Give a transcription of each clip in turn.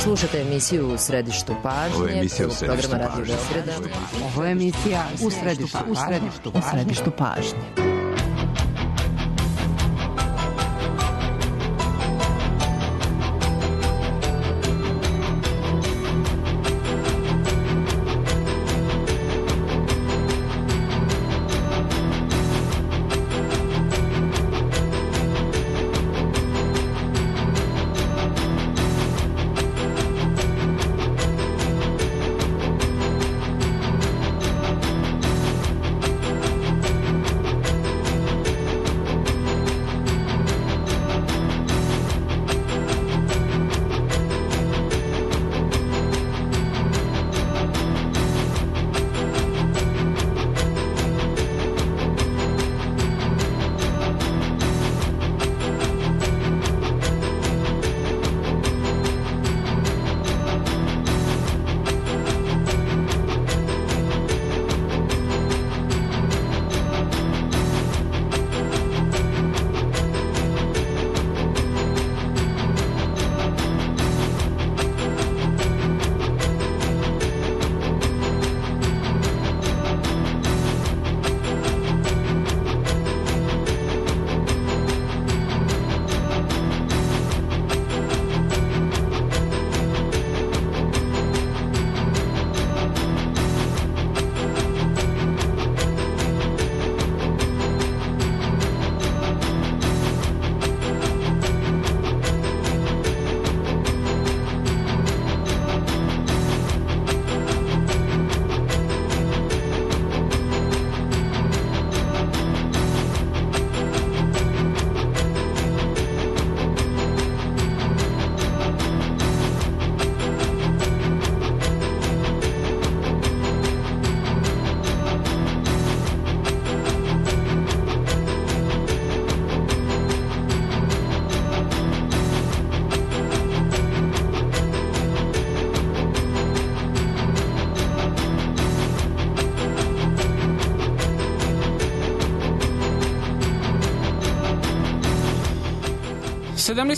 Slušate emisiju U središtu pažnje. Ovo je emisija U središtu programa pažnje. Radio Beograda. Ovo je emisija U središtu pažnje.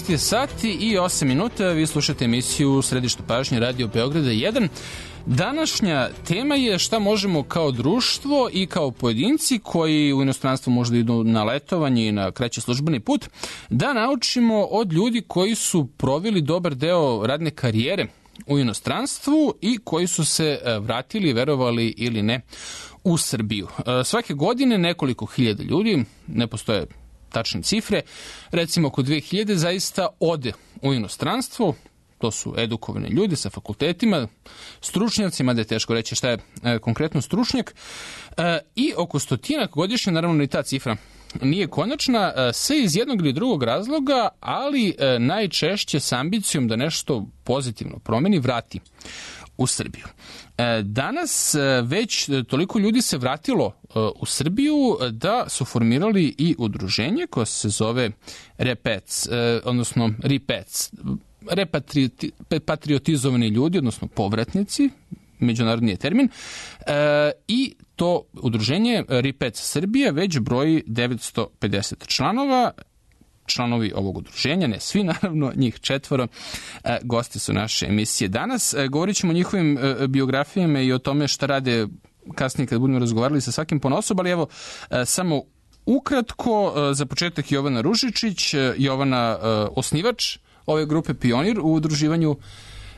Je sati i 8 minuta, vi slušate emisiju Središtu pažnje Radio Beograda 1. Današnja tema je šta možemo kao društvo i kao pojedinci koji u inostranstvu možda idu na letovanje i na kraći službeni put, da naučimo od ljudi koji su proveli dobar deo radne karijere u inostranstvu i koji su se vratili, verovali ili ne, u Srbiju. Svake godine nekoliko hiljada ljudi, ne postoje tačne cifre, recimo oko 2000 zaista ode u inostranstvo. To su edukovani ljudi sa fakultetima, stručnjacima, da je teško reći šta je konkretno stručnjak, i oko 100 godišnje, naravno i ta cifra nije konačna, sve iz jednog ili drugog razloga, ali najčešće s ambicijom da nešto pozitivno promeni, vrati u Srbiju. Danas već toliko ljudi se vratilo u Srbiju da su formirali i udruženje koje se zove REPEC, odnosno REPEC, repatriotizovani ljudi, odnosno povratnici, međunarodni je termin, i to udruženje REPEC Srbije već broji 950 članova. Članovi ovog udruženja, ne svi naravno, njih 4, gosti su naše emisije danas. Govorit ćemo o njihovim biografijama i o tome šta rade kasnije kad budemo razgovarali sa svakim ponosob, ali evo samo ukratko, za početak Jovana Ružičić, Jovana osnivač ove grupe Pionir u udruživanju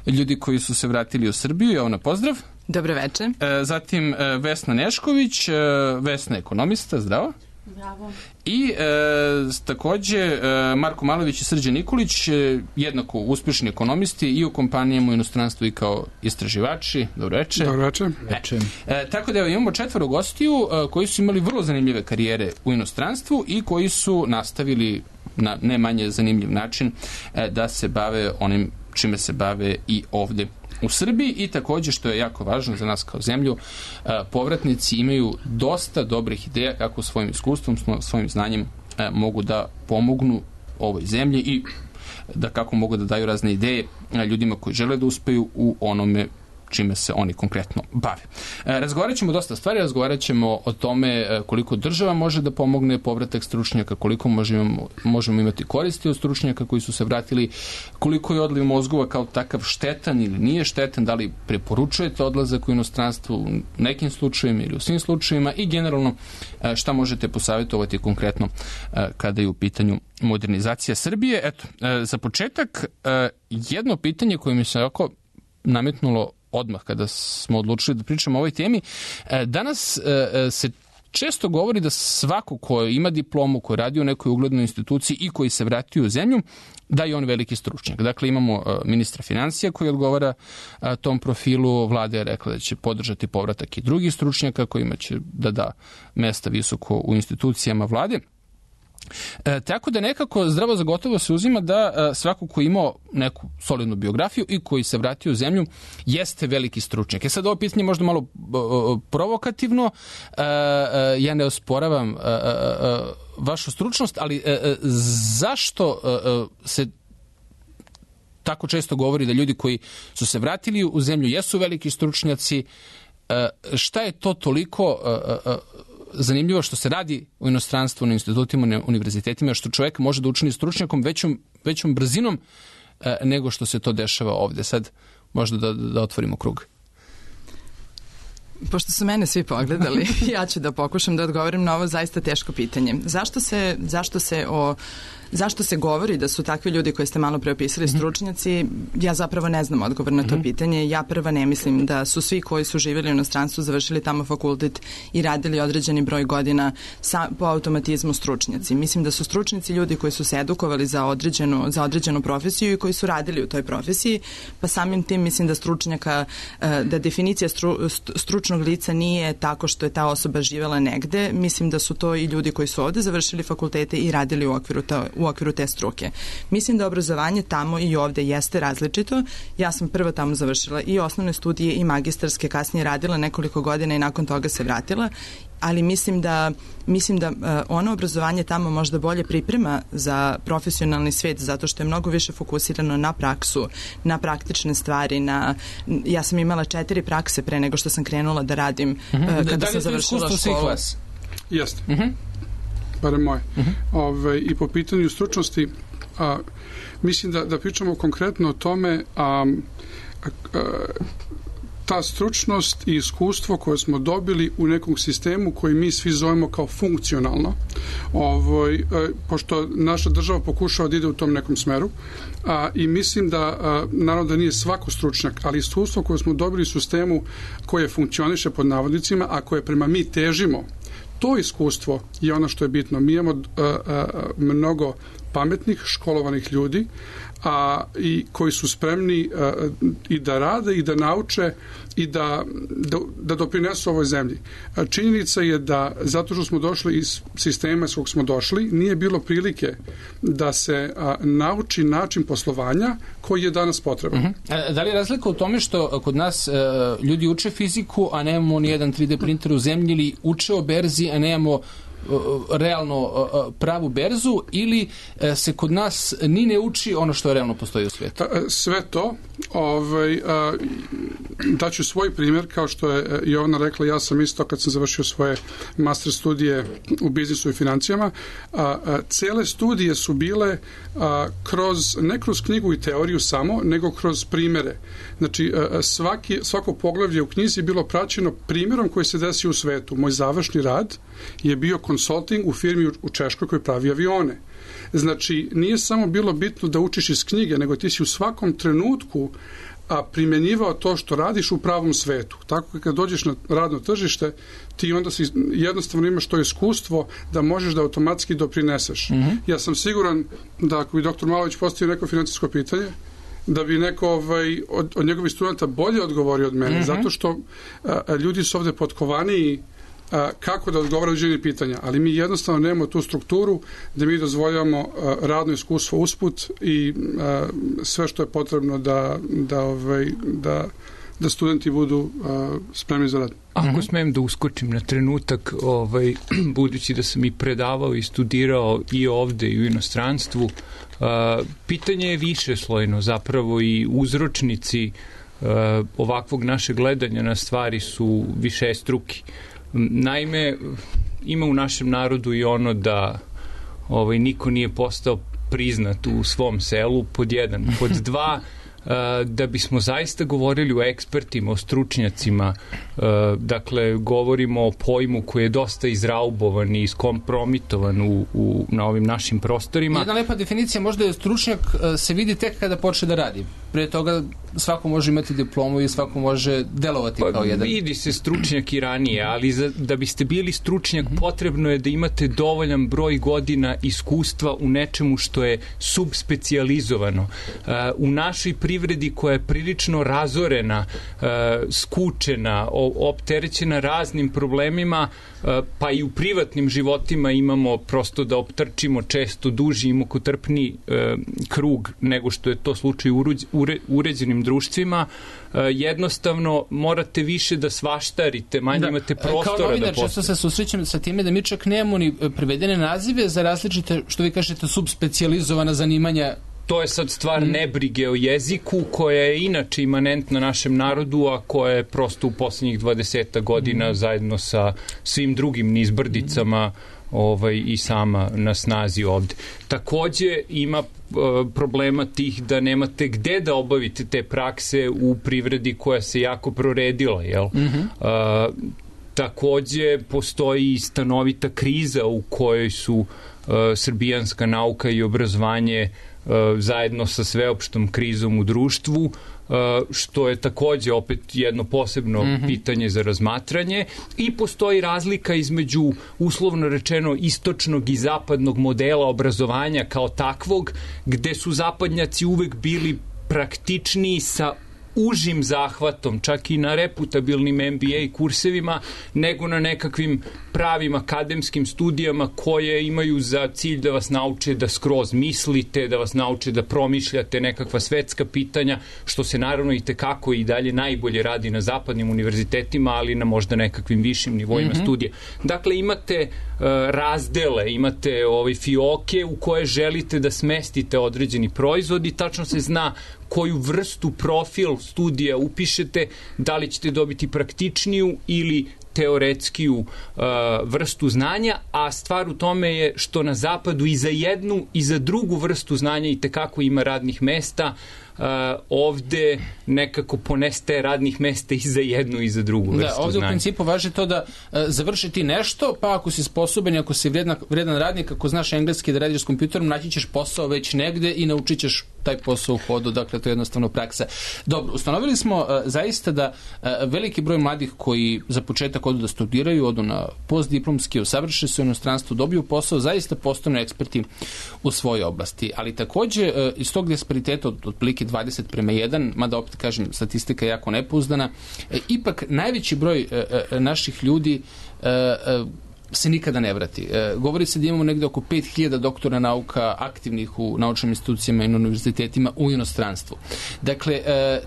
ljudi koji su se vratili u Srbiju. Jovana, pozdrav. Dobro večer. Zatim Vesna Nešković, Vesna ekonomista, zdravo. Bravo. I takođe Marko Malović i Srđan Nikolić, jednako uspešni ekonomisti i u kompanijama u inostranstvu i kao istraživači. Dobro večer. Dobro večer. Tako da evo, imamo 4 gostiju koji su imali vrlo zanimljive karijere u inostranstvu i koji su nastavili na ne manje zanimljiv način da se bave onim čime se bave i ovde u Srbiji. I takođe, što je jako važno za nas kao zemlju, povratnici imaju dosta dobrih ideja kako svojim iskustvom, svojim znanjem mogu da pomognu ovoj zemlji i da kako mogu da daju razne ideje ljudima koji žele da uspeju u onome čime se oni konkretno bave. Razgovarat ćemo dosta stvari, razgovarat ćemo o tome koliko država može da pomogne povratak stručnjaka, koliko možemo imati koristi od stručnjaka koji su se vratili, koliko je odliv mozgova kao takav štetan ili nije štetan, da li preporučujete odlazak u inostranstvo u nekim slučajevima ili u svim slučajevima i generalno šta možete posavjetovati konkretno kada je u pitanju modernizacija Srbije. Eto, za početak, jedno pitanje koje mi se ovako nametnulo odmah kada smo odlučili da pričamo o ovoj temi. Danas se često govori da svako ko ima diplomu, ko radi u nekoj uglednoj instituciji i koji se vratio u zemlju, da je on veliki stručnjak. Dakle, imamo ministra financija koji odgovara tom profilu. Vlada je rekla da će podržati povratak i drugih stručnjaka kojima će da da mesta visoko u institucijama vlade. Tako da nekako zdravo za gotovo se uzima da svako ko imao neku solidnu biografiju i koji se vratio u zemlju jeste veliki stručnjak. Sad ovo pitanje možda malo provokativno, ja ne osporavam vašu stručnost, ali zašto se tako često govori da ljudi koji su se vratili u zemlju jesu veliki stručnjaci? Šta je to toliko zanimljivo što se radi u inostranstvu, na institutima, na univerzitetima, što čovjek može da učini stručnjakom većom brzinom nego što se to dešava ovde? Sad možda da otvorimo krug. Pošto su mene svi pogledali, ja ću da pokušam da odgovorim na ovo zaista teško pitanje. Zašto se govori da su takvi ljudi koji ste malo pre opisali stručnjaci? Ja zapravo ne znam odgovor na to pitanje. Ja prva ne mislim da su svi koji su živjeli u inostranstvu, završili tamo fakultet i radili određeni broj godina po automatizmu stručnjaci. Mislim da su stručnjaci ljudi koji su se edukovali za određenu profesiju i koji su radili u toj profesiji, pa samim tim mislim da stručnjaka, da definicija stručnog lica nije tako što je ta osoba živjela negde. Mislim da su to i ljudi koji su ovde završili fakultete i radili u okviru te struke. Mislim da obrazovanje tamo i ovde jeste različito. Ja sam prvo tamo završila i osnovne studije i magistarske, kasnije radila nekoliko godina i nakon toga se vratila, ali mislim da ono obrazovanje tamo možda bolje priprema za profesionalni svet, zato što je mnogo više fokusirano na praksu, na praktične stvari. Ja sam imala 4 prakse pre nego što sam krenula da radim kada sam završila školu. Jeste. Barem moje. I po pitanju stručnosti, mislim da pričamo konkretno o tome, ta stručnost i iskustvo koje smo dobili u nekom sistemu koji mi svi zovemo kao funkcionalno, pošto naša država pokušava da ide u tom nekom smeru, i mislim da, naravno da nije svako stručnjak, ali iskustvo koje smo dobili u sistemu koje funkcioniše pod navodnicima, a koje prema mi težimo, to iskustvo je ono što je bitno. Mi imamo mnogo pametnih, školovanih ljudi i koji su spremni i da rade i da nauče i da doprinesu ovoj zemlji. Činjenica je da zato što smo došli iz sistema s kog smo došli, nije bilo prilike da se nauči način poslovanja koji je danas potreban. Da li je razlika u tome što kod nas ljudi uče fiziku, a nemamo ni jedan 3D printer u zemlji, ili uče o berzi, a nemamo realno pravu berzu, ili se kod nas ni ne uči ono što realno postoji u svijetu? Sve to. Daću svoj primjer, kao što je Jovana rekla, ja sam isto kad sam završio svoje master studije u biznisu i financijama, cele studije su bile ne kroz knjigu i teoriju samo, nego kroz primere. Znači, svako poglavlje u knjizi je bilo praćeno primjerom koji se desio u svetu. Moj završni rad je bio consulting u firmi u Češkoj koji pravi avione. Znači, nije samo bilo bitno da učiš iz knjige, nego ti si u svakom trenutku primjenjivao to što radiš u pravom svetu. Tako kad dođeš na radno tržište, ti onda jednostavno imaš to iskustvo da možeš da automatski doprineseš. Ja sam siguran da ako bi dr. Malović postavio neko financijsko pitanje, da bi neko od njegovih studenta bolje odgovorio od mene, zato što ljudi su ovde potkovaniji kako da odgovaraju određene pitanja, ali mi jednostavno nemamo tu strukturu da mi dozvoljavamo radno iskustvo usput i sve što je potrebno da studenti budu spremni za rad. Ako smem da uskočim na trenutak, budući da sam i predavao i studirao i ovde i u inostranstvu, pitanje je više slojno, zapravo i uzročnici ovakvog našeg gledanja na stvari su višestruki. Naime, ima u našem narodu i ono da niko nije postao priznat u svom selu, pod jedan. Pod dva, da bismo zaista govorili o ekspertima, o stručnjacima, dakle, govorimo o pojmu koji je dosta izraubovan i iskompromitovan na ovim našim prostorima. Jedna lepa definicija možda je stručnjak se vidi tek kada počne da radi. Pre toga svako može imati diplomu i svako može delovati kao jedan. Vidi se stručnjak i ranije, ali da biste bili stručnjak potrebno je da imate dovoljan broj godina iskustva u nečemu što je subspecijalizovano. U našoj privredi koja je prilično razorena, skučena, opterećena raznim problemima, pa i u privatnim životima imamo prosto da optrčimo često duži i mukotrpni krug nego što je to slučaj u uređenim društvima, jednostavno morate više da svaštarite, manje imate prostora da Kao novinar često se susrećem sa time da mi čak nemamo ni prevedene nazive za različite, što vi kažete, subspecijalizovana zanimanja. To je sad stvar nebrige o jeziku koja je inače imanentna našem narodu, a koja je prosto u poslednjih 20 godina zajedno sa svim drugim nizbrdicama i sama na snazi ovde. Takođe ima problema tih da nemate gde da obavite te prakse u privredi koja se jako proredila, jel? Takođe postoji stanovita kriza u kojoj su srbijanska nauka i obrazovanje zajedno sa sveopštom krizom u društvu, što je takođe opet jedno posebno pitanje za razmatranje, i postoji razlika između, uslovno rečeno, istočnog i zapadnog modela obrazovanja kao takvog, gde su zapadnjaci uvek bili praktičniji sa užim zahvatom, čak i na reputabilnim MBA kursevima, nego na nekakvim pravim akademskim studijama koje imaju za cilj da vas nauče da skroz mislite, da vas nauče da promišljate nekakva svetska pitanja, što se naravno i tekako i dalje najbolje radi na zapadnim univerzitetima, ali na možda nekakvim višim nivoima studija. Dakle, imate razdele, imate fioke u koje želite da smestite određeni proizvod i tačno se zna koju vrstu profil studija upišete, da li ćete dobiti praktičniju ili teoretskiju vrstu znanja, a stvar u tome je što na zapadu i za jednu i za drugu vrstu znanja i tekako ima radnih mesta. Ovde nekako poneste radnih mesta i za jednu i za drugu vrstu znanja. Da, ovde u principu važi to da završiti nešto, pa ako si sposoban i ako si vredan radnik, ako znaš engleski da radiš s kompjuterom, naći ćeš posao već negde i naučit ćeš taj posao u hodu, dakle to je jednostavno praksa. Dobro, ustanovili smo zaista da veliki broj mladih koji za početak odu da studiraju, odu na postdiplomski, usavrše se u inostranstvu, dobiju posao, zaista postanu eksperti u svojoj oblasti. Ali takođe iz tog dispariteta otprilike 20:1, mada opet kažem, statistika je jako nepouzdana, ipak najveći broj naših ljudi se nikada ne vrati. Govori se da imamo negde oko 5000 doktora nauka aktivnih u naučnim institucijama i na univerzitetima u inostranstvu. Dakle,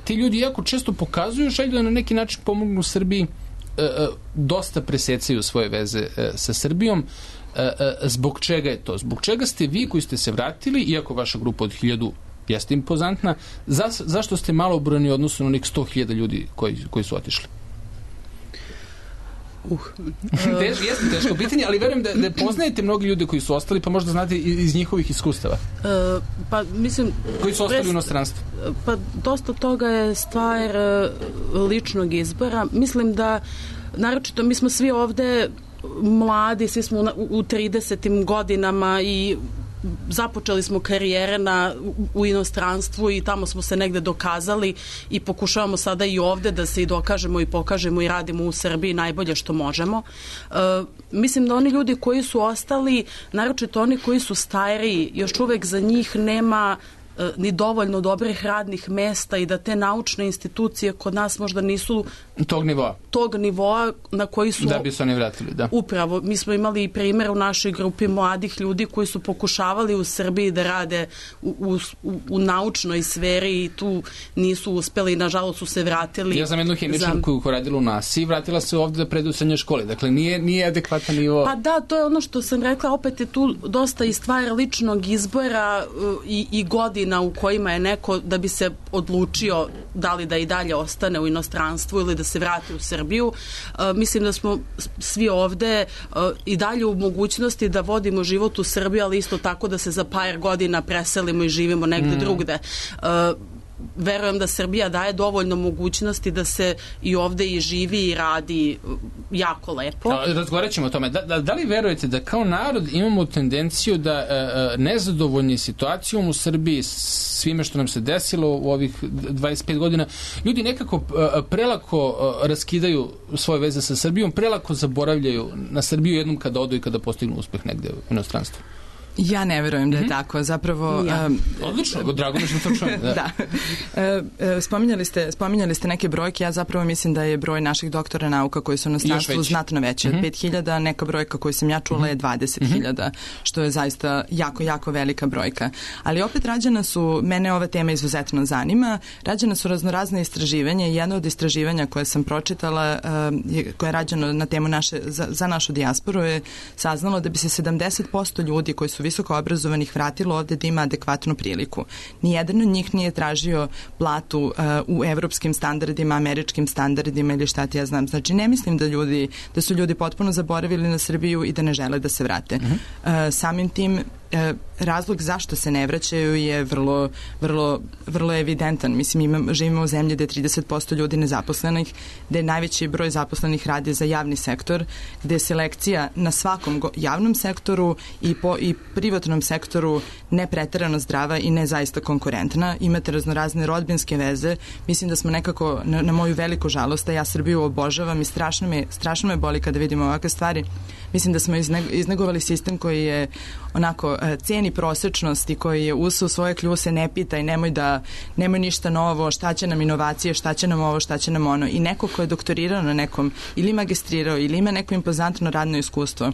ti ljudi jako često pokazuju želju da na neki način pomognu Srbiji, dosta presecaju svoje veze sa Srbijom. Zbog čega je to? Zbog čega ste vi koji ste se vratili, iako vaša grupa od 1000 jeste impozantna, zašto ste malo brojni u odnosu na onih 100.000 ljudi koji su otišli? Jeste teško pitanje, ali verujem da poznajete mnogi ljudi koji su ostali, pa možda znate iz njihovih iskustava. Pa mislim... Koji su ostali u inostranstvu? Pa dosta toga je stvar ličnog izbora. Mislim da, naročito, mi smo svi ovde mladi, svi smo u 30. godinama i započeli smo karijere u inostranstvu i tamo smo se negde dokazali i pokušavamo sada i ovde da se i dokažemo i pokažemo i radimo u Srbiji najbolje što možemo. Mislim da oni ljudi koji su ostali, naročito oni koji su stariji, još uvek za njih nema ni dovoljno dobrih radnih mesta i da te naučne institucije kod nas možda nisu tog nivoa na koji su... Da bi se oni vratili, da. Upravo. Mi smo imali i primjer u našoj grupi mladih ljudi koji su pokušavali u Srbiji da rade u naučnoj sferi i tu nisu uspeli i nažalost su se vratili. Ja znam jednu hemičarku koja radila u NASA i vratila se ovde da predu u srednjoj školi. Dakle, nije adekvatan nivo... Pa da, to je ono što sam rekla, opet je tu dosta i stvar ličnog izbora i godina godina u kojima je neko da bi se odlučio da li da i dalje ostane u inostranstvu ili da se vrati u Srbiju. Mislim da smo svi ovde i dalje u mogućnosti da vodimo život u Srbiji, ali isto tako da se za par godina preselimo i živimo negde drugde. Verujem da Srbija daje dovoljno mogućnosti da se i ovde i živi i radi jako lepo. Razgovarat ćemo o tome. Da li verujete da kao narod imamo tendenciju da nezadovoljni situacijom u Srbiji, svime što nam se desilo u ovih 25 godina, ljudi nekako prelako raskidaju svoje veze sa Srbijom, prelako zaboravljaju na Srbiju jednom kada odu i kada postignu uspeh negde u inostranstvu? Ja ne verujem da je tako. Zapravo... Odlično, drago mi što to čujem. Da. Spominjali ste neke brojke. Ja zapravo mislim da je broj naših doktora nauka koji su na inostranstvu znatno veći od 5.000. Neka brojka koju sam ja čula je 20.000, što je zaista jako, jako velika brojka. Ali opet mene ova tema izuzetno zanima. Rađena su raznorazne istraživanja i jedno od istraživanja koje sam pročitala, koje je rađeno na temu za našu dijasporu, je saznalo da bi se 70% ljudi koji su visoko obrazovanih vratilo ovde da ima adekvatnu priliku. Nijedan od njih nije tražio platu u evropskim standardima, američkim standardima ili šta ti ja znam. Znači, ne mislim da su ljudi potpuno zaboravili na Srbiju i da ne žele da se vrate. Samim tim, razlog zašto se ne vraćaju je vrlo evidentan. Mislim, živimo u zemlji gde je 30% ljudi nezaposlenih, gde je najveći broj zaposlenih radi za javni sektor, gde je selekcija na svakom javnom sektoru i privatnom sektoru ne preterano zdrava i ne zaista konkurentna. Imate raznorazne rodbinske veze. Mislim da smo nekako, na moju veliku žalost, ja Srbiju obožavam i strašno me boli kada vidimo ovakve stvari. Mislim da smo iznegovali sistem koji je onako ceni prosečnost i koji je usao svoje kljuse, ne pita i nemoj ništa novo, šta će nam inovacije, šta će nam ovo, šta će nam ono. I neko ko je doktorirao na nekom ili magistrirao ili ima neko impozantno radno iskustvo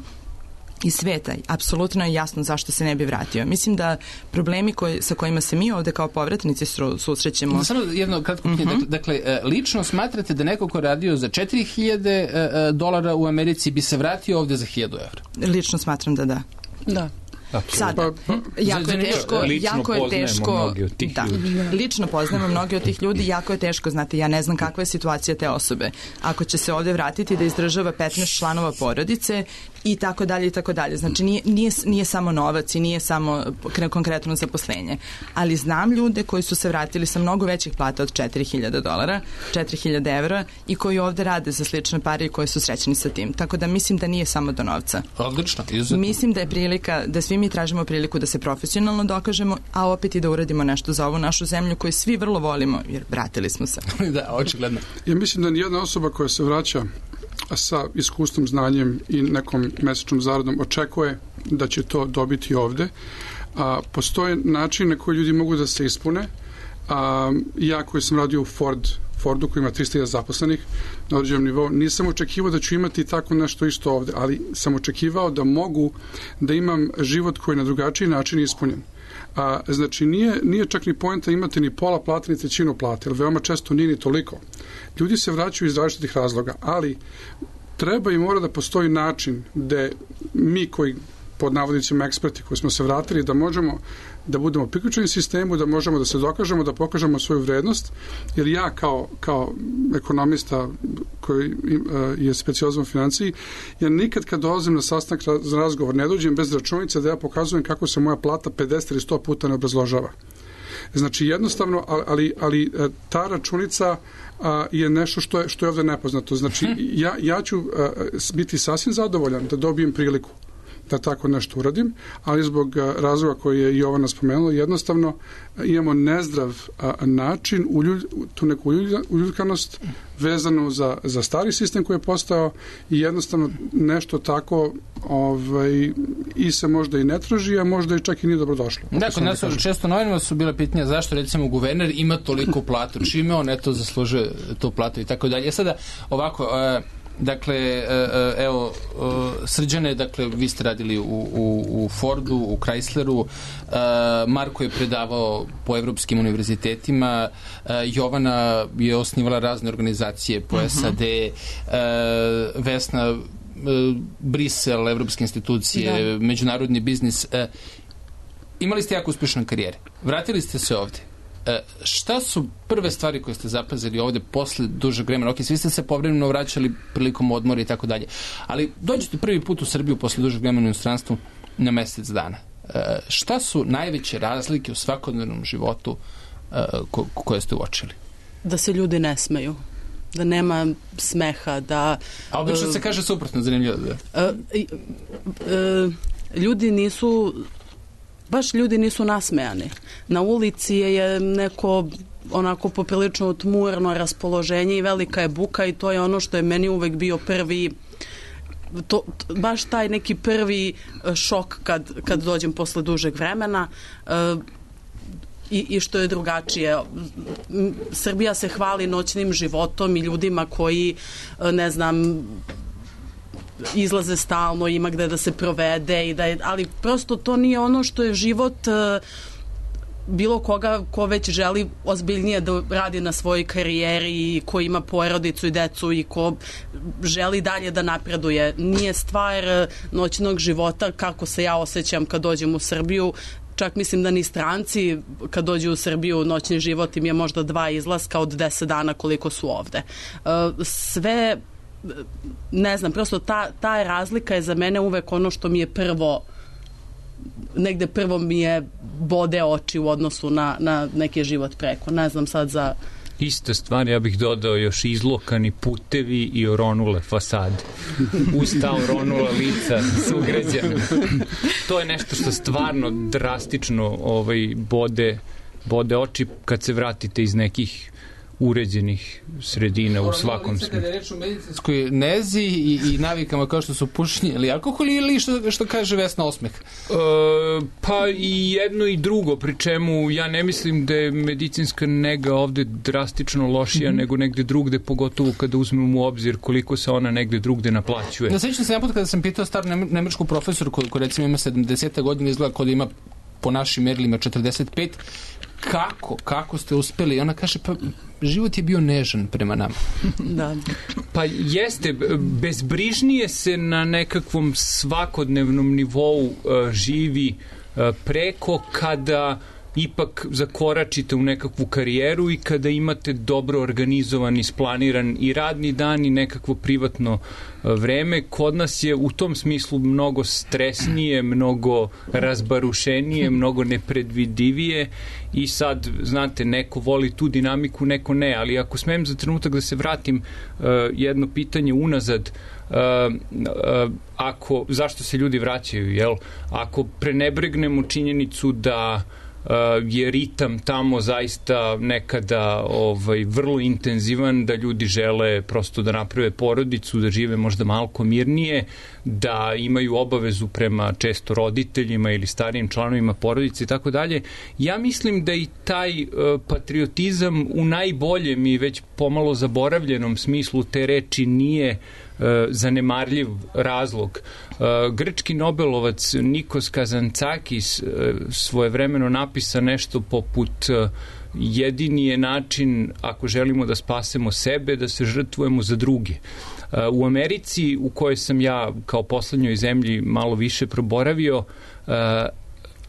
i sveta, apsolutno je jasno zašto se ne bi vratio. Mislim da problemi sa kojima se mi ovde kao povratnici susrećemo... Samo jedno kratko pitanje. Dakle, lično smatrate da neko ko radio za $4.000 u Americi bi se vratio ovde za $1.000? Lično smatram da da. Da. Sada, jako je teško, lično poznajemo mnogi od tih ljudi, jako je teško, znate, ja ne znam kakva je situacija te osobe. Ako će se ovde vratiti da izdržava 15 članova porodice i tako dalje i tako dalje. Znači, nije samo novac i nije samo konkretno zaposlenje. Ali znam ljude koji su se vratili sa mnogo većih plata od $4.000, €4.000 i koji ovde rade za slične pare i koji su srećni sa tim. Tako da mislim da nije samo do novca. Odlično, izuzetno. Mislim da je prilika, da svi mi tražimo priliku da se profesionalno dokažemo, a opet i da uradimo nešto za ovu našu zemlju koju svi vrlo volimo, jer vratili smo se. Da, očigledno. Ja mislim da nijedna osoba koja se vraća sa iskustvom, znanjem i nekom mesečnom zaradom očekuje da će to dobiti ovde. Postoje načine koji ljudi mogu da se ispune. Ja koji sam radio u Fordu koji ima 300.000 zaposlenih na određenom nivou, nisam očekivao da ću imati tako nešto isto ovde, ali sam očekivao da mogu da imam život koji je na drugačiji način ispunjen. Znači, nije čak ni poenta imati ni pola plate, ni trećinu plate, jer veoma često nije ni toliko. Ljudi se vraćaju iz različitih razloga, ali treba i mora da postoji način gde mi koji pod navodnicima eksperti koji smo se vratili, da možemo da budemo priključeni sistemu, da možemo da se dokažemo, da pokažemo svoju vrednost, jer ja kao ekonomista koji je specijalizovan u financiji, ja nikad kad dolazim na sastanak za razgovor ne dođem bez računice da ja pokazujem kako se moja plata 50 ili 100 puta ne obrazložava. Znači jednostavno, ali ta računica je nešto što je ovde nepoznato. Znači ja ću biti sasvim zadovoljan da dobijem priliku da tako nešto uradim, ali zbog razloga koji je Jovana spomenula, jednostavno imamo nezdrav način, tu neku uljudkanost vezanu za stari sistem koji je postao i jednostavno nešto tako i se možda i ne traži, a možda i čak i nije dobro došlo. Da, kod nas često novinama su bila pitanja zašto recimo guverner ima toliko platu, čime on eto zaslužuje tu platu i tako dalje. Sada ovako, dakle, evo, Srđane, dakle, vi ste radili u Fordu, u Chrysleru, Marko je predavao po evropskim univerzitetima, Jovana je osnivala razne organizacije po SAD, Vesna, Brisel, evropske institucije, međunarodni biznis. imali ste jako uspješne karijere, vratili ste se ovdje. Šta su prve stvari koje ste zapazili ovdje posle dužeg vremena? Ok, svi ste se povremeno vraćali prilikom odmora i tako dalje, ali dođete prvi put u Srbiju posle dužeg vremena u inostranstvu na mjesec dana. Šta su najveće razlike u svakodnevnom životu koje ste uočili? Da se ljudi ne smeju, da nema smeha, da... A obično se kaže suprotno, zanimljivo. Ljudi nisu nasmejani. Na ulici je neko onako poprilično tmurno raspoloženje i velika je buka i to je ono što je meni uvek bio prvi baš taj neki prvi šok kad dođem posle dužeg vremena i što je drugačije. Srbija se hvali noćnim životom i ljudima koji, ne znam, izlaze stalno, ima gde da se provede, ali prosto to nije ono što je život bilo koga ko već želi ozbiljnije da radi na svojoj karijeri i ko ima porodicu i decu i ko želi dalje da napreduje. Nije stvar noćnog života kako se ja osjećam kad dođem u Srbiju. Čak mislim da ni stranci kad dođu u Srbiju noćni život im je možda 2 izlaska od 10 dana koliko su ovde. Sve, ne znam, prosto ta razlika je za mene uvek ono što mi je negde prvo mi je bode oči u odnosu na neki život preko. Ne znam sad za... Ista stvar, ja bih dodao još izlokani putevi i oronule fasade. Usta oronula lica sugrađana. To je nešto što stvarno drastično bode oči kad se vratite iz nekih uređenih sredina u svakom smislu. Kada je reč o medicinskoj nezi i navikama kao što su pušenje ili alkohol ili što kaže Vesna Osmeh? Pa i jedno i drugo, pri čemu ja ne mislim da je medicinska nega ovde drastično lošija nego negde drugde, pogotovo kada uzmemo u obzir koliko se ona negde drugde naplaćuje. Ja sećam se jedan put kada sam pitao staru nemačku profesoru koji recimo ima 70. godine, izgleda kao da ima po našim merilima 45, kako ste uspeli? I ona kaže, pa život je bio nežan prema nama. Da. Pa jeste, bezbrižnije se na nekakvom svakodnevnom nivou živi preko kada ipak zakoračite u nekakvu karijeru i kada imate dobro organizovan, isplaniran i radni dan i nekakvo privatno vreme. Kod nas je u tom smislu mnogo stresnije, mnogo razbarušenije, mnogo nepredvidivije i sad, znate, neko voli tu dinamiku, neko ne, ali ako smem za trenutak da se vratim jedno pitanje unazad, zašto se ljudi vraćaju, jel? Ako prenebregnemo činjenicu da je ritam tamo zaista nekada vrlo intenzivan, da ljudi žele prosto da naprave porodicu, da žive možda malko mirnije, da imaju obavezu prema često roditeljima ili starijim članovima porodice i tako dalje. Ja mislim da i taj patriotizam u najboljem i već pomalo zaboravljenom smislu te reči nije zanemarljiv razlog. Grčki Nobelovac Nikos Kazantzakis svojevremeno napisa nešto poput jedini je način ako želimo da spasemo sebe, da se žrtvujemo za druge. U Americi, u kojoj sam ja kao poslednjoj zemlji malo više proboravio,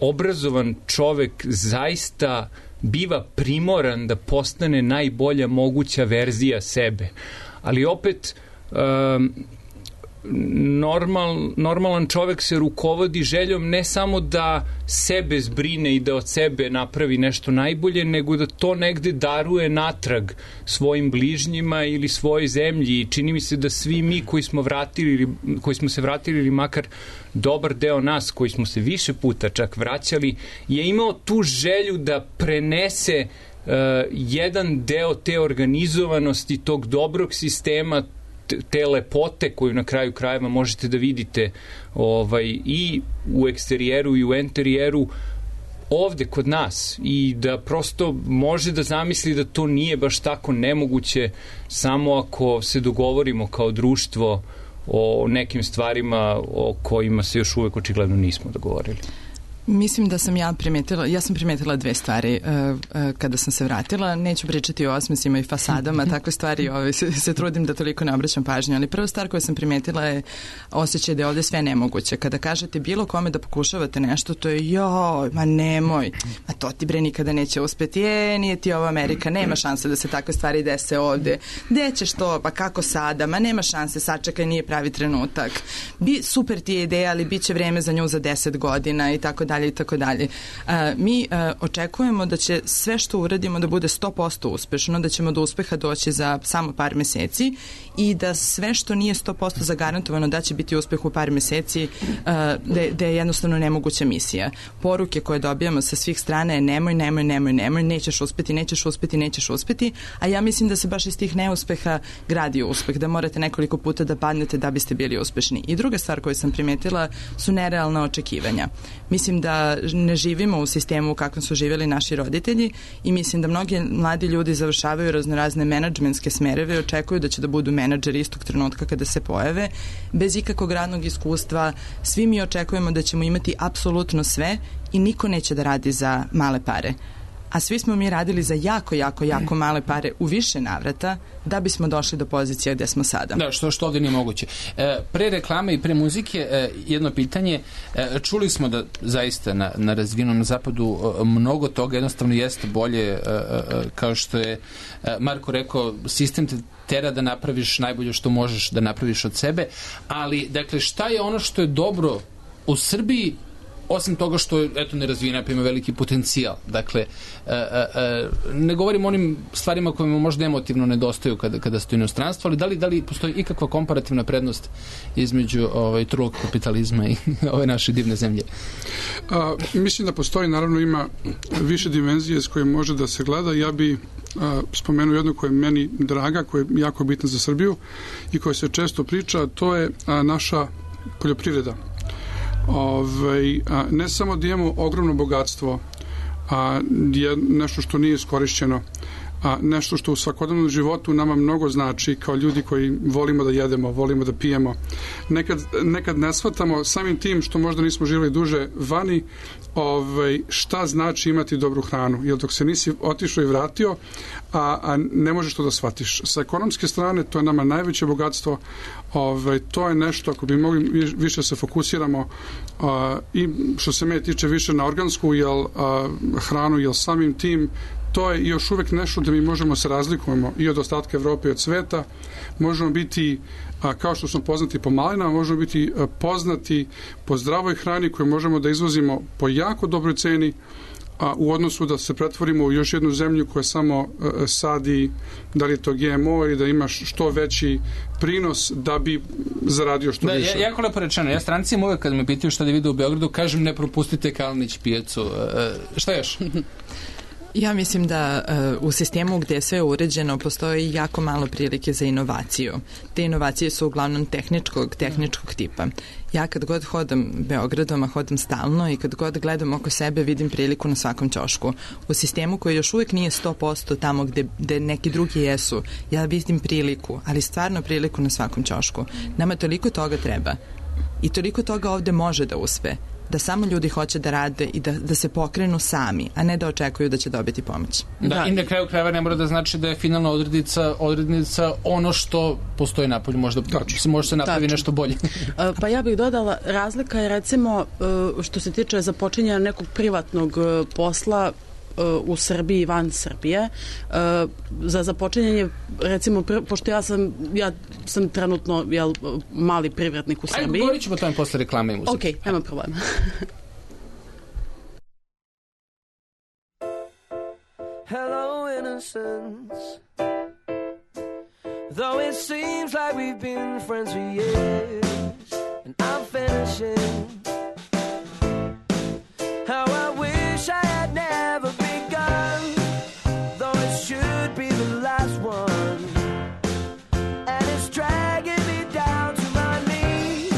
obrazovan čovek zaista biva primoran da postane najbolja moguća verzija sebe. Ali opet normalan čovek se rukovodi željom ne samo da sebe zbrine i da od sebe napravi nešto najbolje, nego da to negde daruje natrag svojim bližnjima ili svojoj zemlji. I čini mi se da svi mi koji smo se vratili ili makar dobar deo nas koji smo se više puta čak vraćali je imao tu želju da prenese jedan deo te organizovanosti, tog dobrog sistema, te lepote koju na kraju krajeva možete da vidite i u eksterijeru i u interijeru ovde kod nas i da prosto može da zamisli da to nije baš tako nemoguće samo ako se dogovorimo kao društvo o nekim stvarima o kojima se još uvek očigledno nismo dogovorili. Mislim da sam ja sam primetila dve stvari kada sam se vratila. Neću pričati o osmesima i fasadama, takve stvari se trudim da toliko ne obraćam pažnju, ali prva stvar koju sam primetila je osjećaj da je ovde sve nemoguće. Kada kažete bilo kome da pokušavate nešto, to je joj, ma nemoj, ma to ti bre nikada neće uspeti, nije ti ovo Amerika, nema šanse da se takve stvari dese ovde, gde ćeš to, pa kako sada, ma nema šanse, sačekaj, nije pravi trenutak, super ti je ideja, ali bit će vreme za nju za 10 godina i tako dalje i tako dalje. Mi očekujemo da će sve što uradimo da bude 100% uspešno, da ćemo do uspeha doći za samo par meseci i da sve što nije 100% zagarantovano da će biti uspeh u par meseci, da je jednostavno nemoguća misija. Poruke koje dobijamo sa svih strana je nemoj, nećeš uspeti, a ja mislim da se baš iz tih neuspeha gradi uspeh, da morate nekoliko puta da padnete da biste bili uspešni. I druga stvar koju sam primetila su nerealna očekivanja. Mislim da ne živimo u sistemu u kakvom su živjeli naši roditelji i mislim da mnogi mladi ljudi završavaju raznorazne menadžmentske smereve i očekuju da će da budu menadžeri istog trenutka kada se pojave, bez ikakvog radnog iskustva. Svi mi očekujemo da ćemo imati apsolutno sve i niko neće da radi za male pare. A svi smo mi radili za jako male pare u više navrata da bismo došli do pozicije gde smo sada. Da, što ovdje nije moguće. Pre reklame i pre muzike jedno pitanje. Čuli smo da zaista na razvijenom zapadu mnogo toga jednostavno jeste bolje, kao što je Marko rekao, sistem te tera da napraviš najbolje što možeš da napraviš od sebe, ali dakle šta je ono što je dobro u Srbiji osim toga što je nerazvijena, pa ima veliki potencijal. Dakle, ne govorim o onim stvarima kojima možda emotivno nedostaju kada ste u inostranstvu, ali da li postoji ikakva komparativna prednost između trulog kapitalizma i ove naše divne zemlje? Mislim da postoji, naravno ima više dimenzije s kojim može da se gleda. Ja bi spomenuo jednu koja je meni draga, koja je jako bitna za Srbiju i koja se često priča, to je naša poljoprivreda. Ne samo da imamo ogromno bogatstvo, je nešto što nije iskorišćeno, nešto što u svakodnevnom životu nama mnogo znači kao ljudi koji volimo da jedemo, volimo da pijemo. Nekad ne shvatamo samim tim što možda nismo živjeli duže vani, šta znači imati dobru hranu, jer dok se nisi otišao i vratio, a ne možeš to da shvatiš. Sa ekonomske strane to je nama najveće bogatstvo, to je nešto ako bi mogli više se fokusiramo i što se mene tiče više na organsku hranu, jer samim tim to je još uvek nešto da mi možemo se razlikujemo i od ostatka Evrope i od sveta. Možemo biti, kao što smo poznati po malinama, možemo biti poznati po zdravoj hrani koju možemo da izvozimo po jako dobroj ceni, u odnosu da se pretvorimo u još jednu zemlju koja samo sadi, da li je to GMO ili da imaš što veći prinos da bi zaradio što više. Jako lepo rečeno. Ja strancima uvek kad me pitaju šta da vide u Beogradu, kažem ne propustite Kalnić pijacu. Šta još? Ja mislim da u sistemu gdje je sve uređeno postoji jako malo prilike za inovaciju. Te inovacije su uglavnom tehničkog tipa. Ja kad god hodam Beogradom, a hodam stalno i kad god gledam oko sebe vidim priliku na svakom ćošku. U sistemu koji još uvijek nije 100% tamo gde neki drugi jesu, ja vidim priliku, ali stvarno priliku na svakom ćošku. Nama toliko toga treba i toliko toga ovde može da uspe, da samo ljudi hoće da rade i da se pokrenu sami, a ne da očekuju da će dobiti pomoć. Da, i na kraju krajeva ne mora da znači da je finalna odrednica ono što postoji napolju, može se napravi nešto bolje. Pa ja bih dodala, razlika je recimo što se tiče započinjanja nekog privatnog posla u Srbiji i van Srbije. Za započinjanje, recimo, pošto ja sam trenutno mali privrednik u Srbiji. Ajde, govorit ćemo o tome posle reklame i muzike. Ok, nema problema. Hello, innocence. Though it seems like we've been friends for years, and I'm finishing how I wish I had never begun, though it should be the last one, and it's dragging me down to my knees,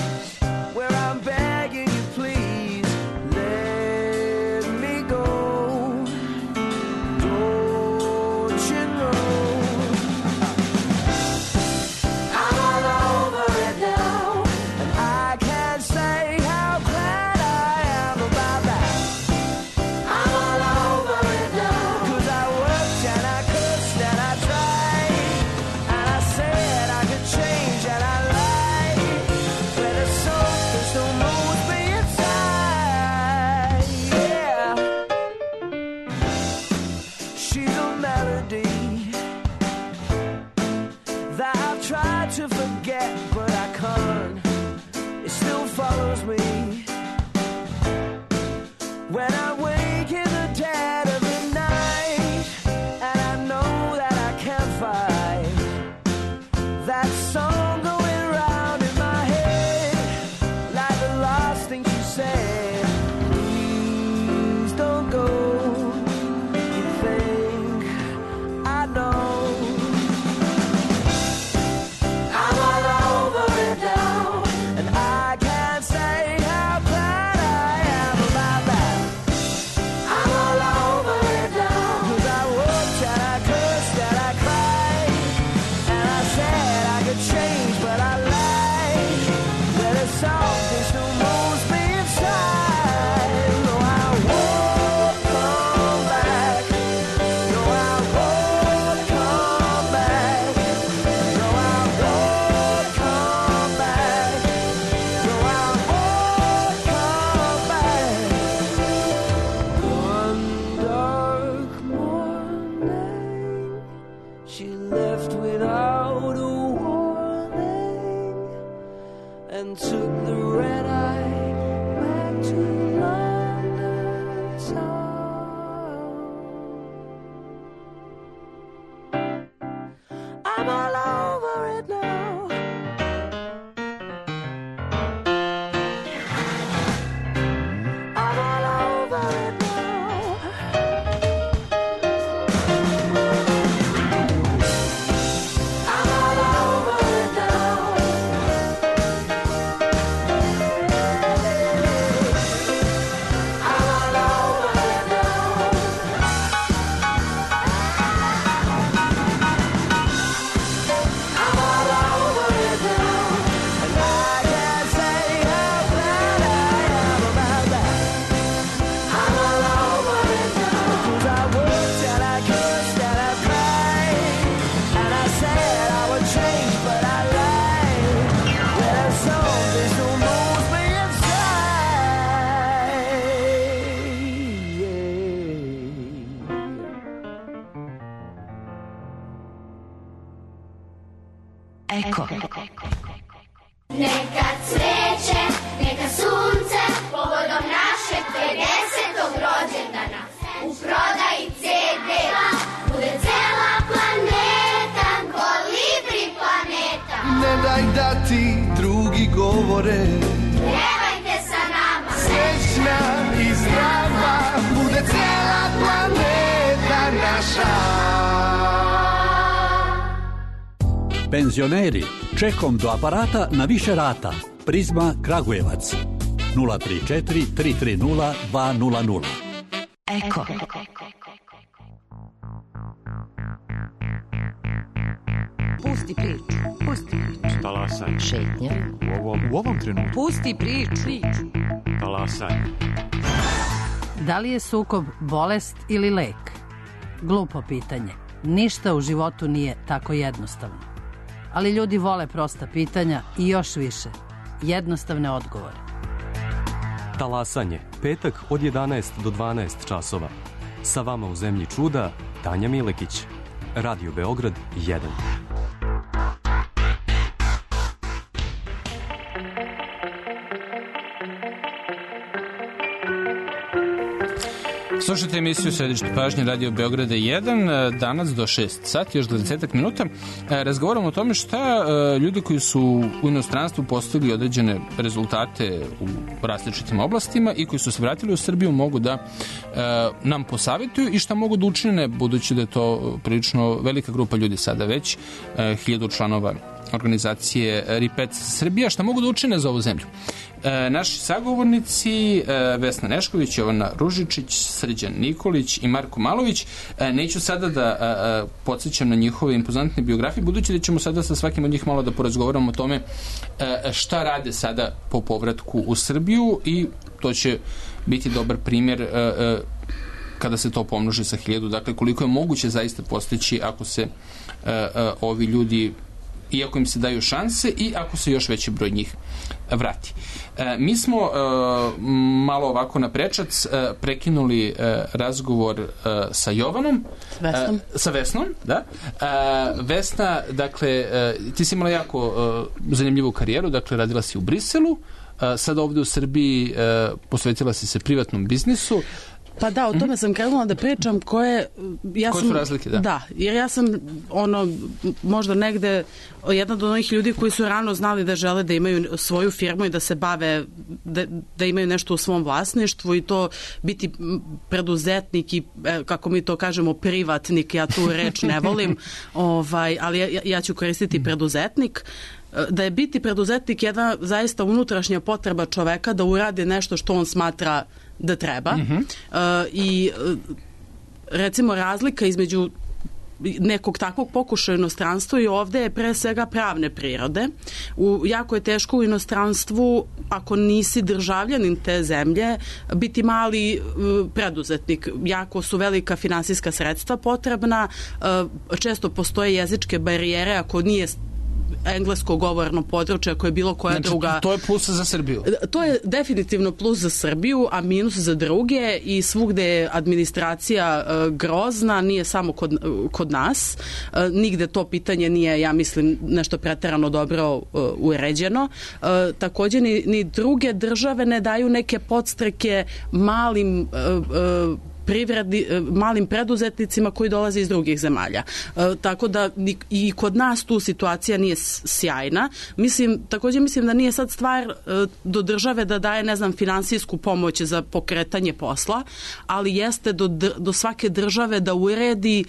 where I'm begging you, please let me go. Don't you know I'm all over it now, and I can't say how Eko. Neka cveće, neka sunce, povodom našeg 50. rođendana, u prodaji CD-a, bude cela planeta, Kolibri planeta. Ne daj da ti drugi govore, Pjevajte sa nama, srećna i zdrava, bude cela planeta naša. Penzioneri, čekom do aparata na više rata. Prizma Kragujevac 034 330 200. Eko. Pusti priču. Talasaj. Šetnja. U ovom trenutku. Pusti priču. Talasaj. Da li je sukob bolest ili lek? Glupo pitanje. Ništa u životu nije tako jednostavno. Ali ljudi vole prosta pitanja i još više jednostavne odgovore. Talasanje. Petak od 11 do 12 časova. Sa vama u zemlji čuda, Tanja Milekić. Radio Beograd 1. Slušajte emisiju Središte pažnje Radio Beograda 1, danas do 6 sati, još 20 minuta. Razgovaramo o tome šta ljudi koji su u inostranstvu postigli određene rezultate u različitim oblastima i koji su se vratili u Srbiju mogu da nam posavjetuju i šta mogu da učine, budući da je to prilično velika grupa ljudi sada već, 1000 članova organizacije Ripec Srbija, šta mogu da učine za ovu zemlju. Naši sagovornici Vesna Nešković, Jovana Ružičić, Srđan Nikolić i Marko Malović. Neću sada da podsjećam na njihove impozantne biografije, budući da ćemo sada sa svakim od njih malo da porazgovaramo o tome šta rade sada po povratku u Srbiju i to će biti dobar primjer kada se to pomnoži sa 1000. Dakle, koliko je moguće zaista postići ako se ovi ljudi, iako im se daju šanse i ako se još veći broj njih vrati. Mi smo malo ovako na prečac prekinuli razgovor sa Jovanom. Sa Vesnom, da. Vesna, dakle, ti si imala jako zanimljivu karijeru, dakle, radila si u Briselu, sada ovde u Srbiji posvetila si se privatnom biznisu. Pa da, o tome sam krenula da pričam koje su razlike, da? Da, jer ja sam možda negde jedna od onih ljudi koji su rano znali da žele da imaju svoju firmu i da se bave, da imaju nešto u svom vlasništvu i to biti preduzetnik i, kako mi to kažemo, privatnik, ja tu reč ne volim, ali ja ću koristiti preduzetnik. Da je biti preduzetnik jedna zaista unutrašnja potreba čoveka da uradi nešto što on smatra da treba. I recimo razlika između nekog takvog pokušaja u inostranstvu i ovde je pre svega pravne prirode. Jako je teško u inostranstvu, ako nisi državljanin te zemlje, biti mali preduzetnik. Jako su velika finansijska sredstva potrebna, često postoje jezičke barijere ako nije englesko govorno područje koje je bilo koja druga. To je plus za Srbiju. To je definitivno plus za Srbiju, a minus za druge i svugde je administracija grozna, nije samo kod nas. Nigde to pitanje nije, ja mislim, nešto preterano dobro uređeno. Takođe ni druge države ne daju neke podstreke malim preduzetnicima koji dolaze iz drugih zemalja. Tako da i kod nas tu situacija nije sjajna. Takođe mislim da nije sad stvar do države da daje, ne znam, finansijsku pomoć za pokretanje posla, ali jeste do svake države da uredi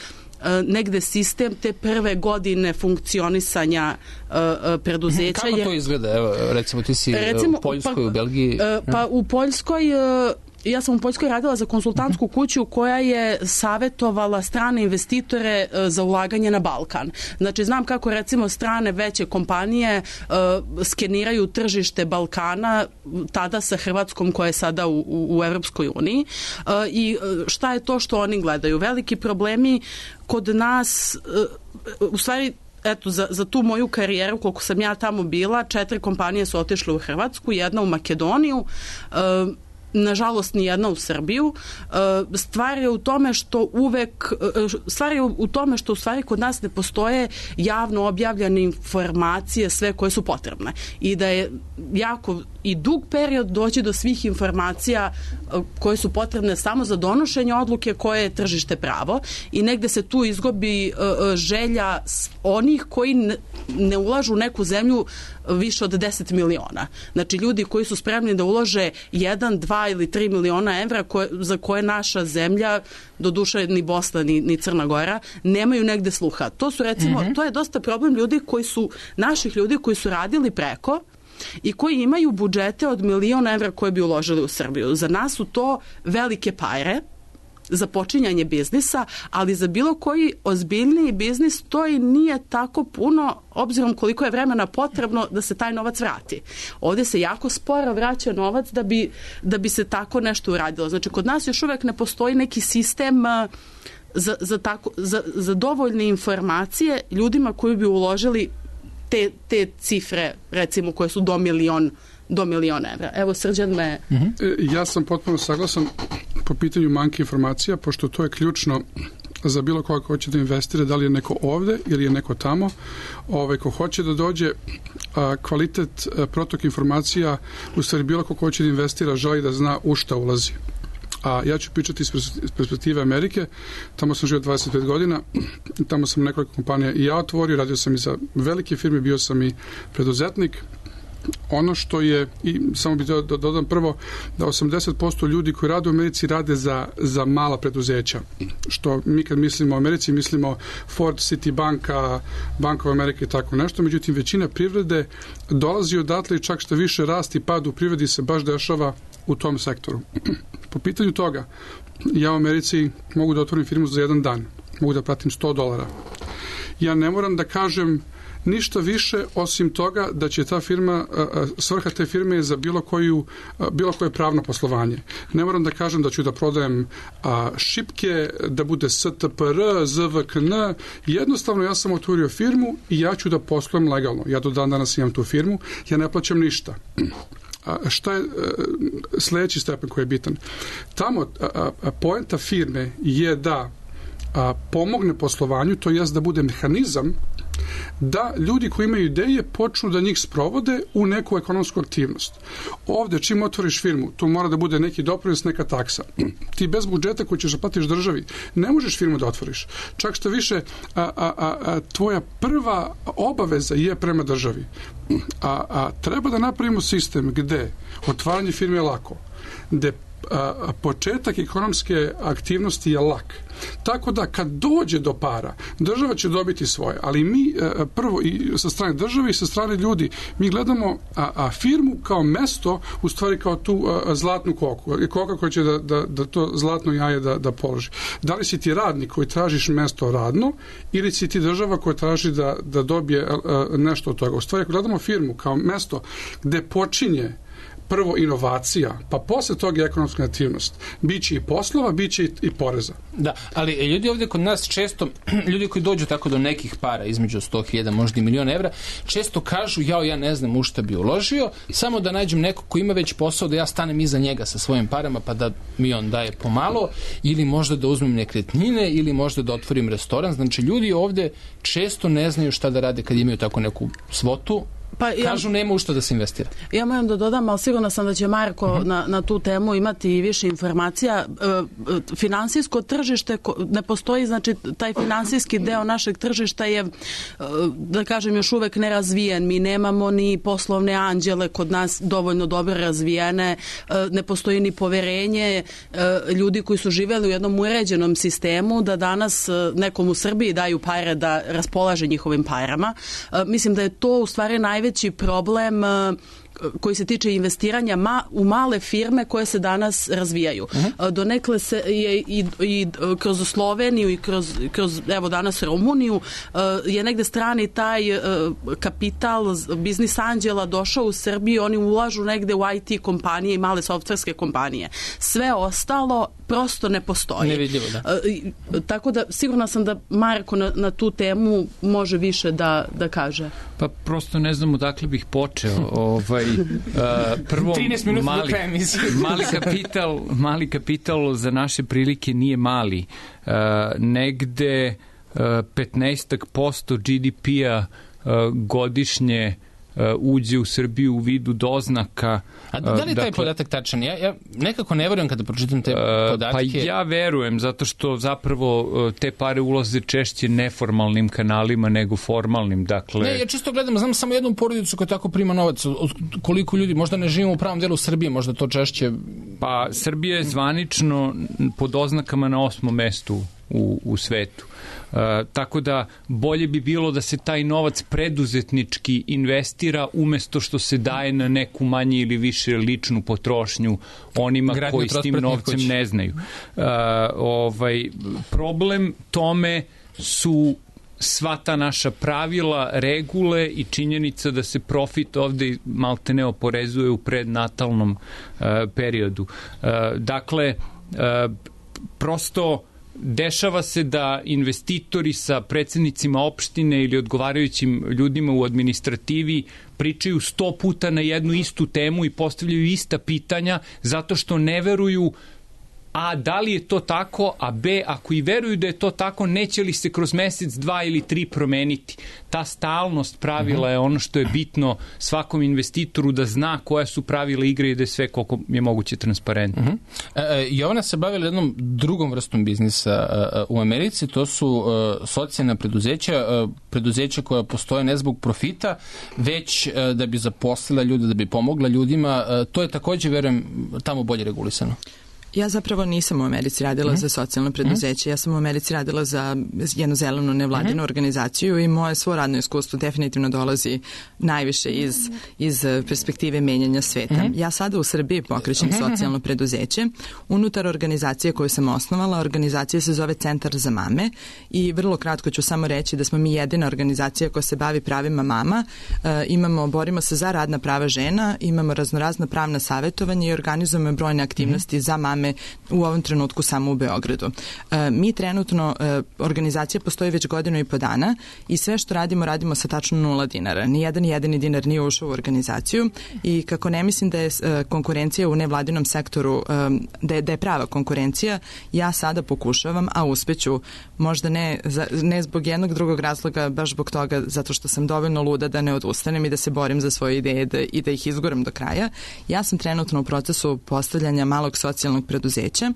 negde sistem te prve godine funkcionisanja preduzeća. Kako to izgleda? Evo, recimo ti si u Poljskoj, u Belgiji. Pa u Poljskoj ja sam u Poljskoj radila za konsultantsku kuću koja je savjetovala strane investitore za ulaganje na Balkan. Znači, znam kako recimo strane veće kompanije skeniraju tržište Balkana tada sa Hrvatskom koja je sada u Evropskoj uniji i šta je to što oni gledaju. Veliki problemi kod nas, u stvari, eto, za tu moju karijeru, koliko sam ja tamo bila, 4 kompanije su otišle u Hrvatsku, jedna u Makedoniju. nažalost ni jedna u Srbiju. Stvar je u tome što u stvari kod nas ne postoje javno objavljene informacije sve koje su potrebne i da je jako i dug period doći do svih informacija koje su potrebne samo za donošenje odluke koje je tržište pravo i negde se tu izgubi želja onih koji ne ulažu u neku zemlju više od 10 miliona. Znači ljudi koji su spremni da ulože 1, 2 ili 3 miliona evra za koje naša zemlja, doduše ni Bosna ni Crna Gora, nemaju negde sluha. To su recimo, to je dosta problem naših ljudi koji su radili preko i koji imaju budžete od miliona evra koje bi uložili u Srbiju. Za nas su to velike pare za počinjanje biznisa, ali za bilo koji ozbiljniji biznis to i nije tako puno, obzirom koliko je vremena potrebno da se taj novac vrati. Ovdje se jako sporo vraća novac da bi se tako nešto uradilo. Znači, kod nas još uvek ne postoji neki sistem za dovoljne informacije ljudima koji bi uložili te cifre, recimo, koje su do milion evra. Evo, Srđan me... Ja sam potpuno saglasan po pitanju manjka informacija, pošto to je ključno za bilo koga ko hoće da investira, da li je neko ovde ili je neko tamo. Ko hoće da dođe, kvalitet, protok informacija, u stvari bilo ko hoće da investira, želi da zna u šta ulazi. A ja ću pričati iz perspektive Amerike. Tamo sam živio 25 godina, tamo sam nekoliko kompanija i ja otvorio, radio sam i za velike firme, bio sam i preduzetnik. Ono što je, i samo bih dodam prvo, da 80% ljudi koji rade u Americi rade za mala preduzeća. Što mi kad mislimo o Americi, mislimo Ford, Citibanka, Bank of America i tako nešto. Međutim, većina privrede dolazi odatle i čak što više rast i pad u privredi se baš dešava u tom sektoru. Po pitanju toga, ja u Americi mogu da otvorim firmu za jedan dan. Mogu da platim $100. Ja ne moram da kažem ništa više osim toga da će ta firma, svrha te firme je za bilo koje pravno poslovanje. Ne moram da kažem da ću da prodajem šipke, da bude STPR, ZVKN. Jednostavno ja sam otvorio firmu i ja ću da poslujem legalno. Ja do dan danas imam tu firmu, ja ne plaćam ništa. Šta je sledeći stepen koji je bitan? Tamo poenta firme je da pomogne poslovanju, to jest da bude mehanizam da ljudi koji imaju ideje počnu da njih sprovode u neku ekonomsku aktivnost. Ovde, čim otvoriš firmu, tu mora da bude neki doprinos, neka taksa. Ti bez budžeta koji ćeš da platiš državi, ne možeš firmu da otvoriš. Čak što više, tvoja prva obaveza je prema državi. Treba da napravimo sistem gde otvaranje firme je lako, gde početak ekonomske aktivnosti je lak. Tako da kad dođe do para, država će dobiti svoje, ali mi prvo i sa strane države i sa strane ljudi, mi gledamo firmu kao mesto, u stvari kao tu zlatnu koku. Koka koja će da to zlatno jaje da položi. Da li si ti radnik koji tražiš mesto radno ili si ti država koja traži da dobije nešto od toga. U stvari, ako gledamo firmu kao mesto gde počinje prvo inovacija, pa posle toga je ekonomska aktivnost. Biće i poslova, biće i poreza. Da, ali ljudi ovdje kod nas često, ljudi koji dođu tako do nekih para, između 100.000, možda i milion evra, često kažu, ja ne znam u šta bi uložio, samo da nađem neko ko ima već posao, da ja stanem iza njega sa svojim parama, pa da mi on daje pomalo, ili možda da uzmem nekretnine, ili možda da otvorim restoran. Znači, ljudi ovdje često ne znaju šta da rade kad imaju tako neku svotu. Kažu nema u što da se investira. Ja moram da dodam, ali sigurno sam da će Marko na tu temu imati više informacija. Finansijsko tržište ne postoji, znači taj finansijski deo našeg tržišta je, da kažem, još uvek nerazvijen. Mi nemamo ni poslovne anđele kod nas dovoljno dobro razvijene, ne postoji ni poverenje ljudi koji su živeli u jednom uređenom sistemu da danas nekom u Srbiji daju pare da raspolaže njihovim parama. Mislim da je to u stvari najveći problem koji se tiče investiranja u male firme koje se danas razvijaju. Donekle se je i kroz Sloveniju i kroz evo danas Rumuniju je negde strani taj kapital biznis anđela došao u Srbiju, oni ulažu negde u IT kompanije i male softverske kompanije. Sve ostalo prosto ne postoji. Nevidljivo, da. Tako da sigurna sam da Marko na tu temu može više da kaže. Pa prosto ne znam odakle bih počeo. prvo 13 minuta do kraja emisije. mali kapital za naše prilike nije mali. Negde 15% GDP-a godišnje uđe u Srbiju u vidu doznaka. A da li je taj podatak tačan? Ja nekako ne verujem kada pročitam te podatke. Pa ja verujem, zato što zapravo te pare ulaze češće neformalnim kanalima nego formalnim. Dakle... Ne, ja čisto gledam, znam samo jednu porodicu koja tako prima novac. Koliko ljudi, možda ne živimo u pravom delu Srbije, možda to češće... Pa Srbija je zvanično po doznakama na 8. mestu u svetu. Tako da bolje bi bilo da se taj novac preduzetnički investira umesto što se daje na neku manje ili više ličnu potrošnju onima koji s tim novcem ne znaju. Problem tome su sva ta naša pravila, regule i činjenica da se profit ovde malte ne oporezuje u prednatalnom periodu. Dakle, prosto dešava se da investitori sa predsednicima opštine ili odgovarajućim ljudima u administrativi pričaju 100 puta na jednu istu temu i postavljaju ista pitanja zato što ne veruju A, da li je to tako, a B, ako i veruju da je to tako, neće li se kroz mesec, 2 ili 3 promeniti. Ta stalnost pravila je ono što je bitno svakom investitoru da zna koja su pravila igre i da je sve koliko je moguće transparentno. Jovana se bavila jednom drugom vrstom biznisa u Americi, to su socijalna preduzeća koja postoje ne zbog profita, već da bi zaposlila ljude, da bi pomogla ljudima. To je takođe, verujem, tamo bolje regulisano. Ja zapravo nisam u Americi radila za socijalno preduzeće, ja sam u Americi radila za jednu zelenu nevladinu organizaciju i moje svo radno iskustvo definitivno dolazi najviše iz perspektive menjanja sveta. Ja sada u Srbiji pokrećem socijalno preduzeće. Unutar organizacije koju sam osnovala, organizacija se zove Centar za mame i vrlo kratko ću samo reći da smo mi jedina organizacija koja se bavi pravima mama. Borimo se za radna prava žena, imamo raznorazna pravna savjetovanja i organizujemo brojne aktivnosti za mame u ovom trenutku samo u Beogradu. Mi trenutno, organizacija postoji već 1.5 godina i sve što radimo sa tačno 0 dinara. Nijedan jedini dinar nije ušao u organizaciju i kako ne mislim da je konkurencija u nevladinom sektoru, da je prava konkurencija, ja sada pokušavam, a uspeću, možda ne zbog jednog drugog razloga, baš zbog toga, zato što sam dovoljno luda da ne odustanem i da se borim za svoje ideje i da ih izguram do kraja. Ja sam trenutno u procesu postavljanja malog socijalnog preduzeća.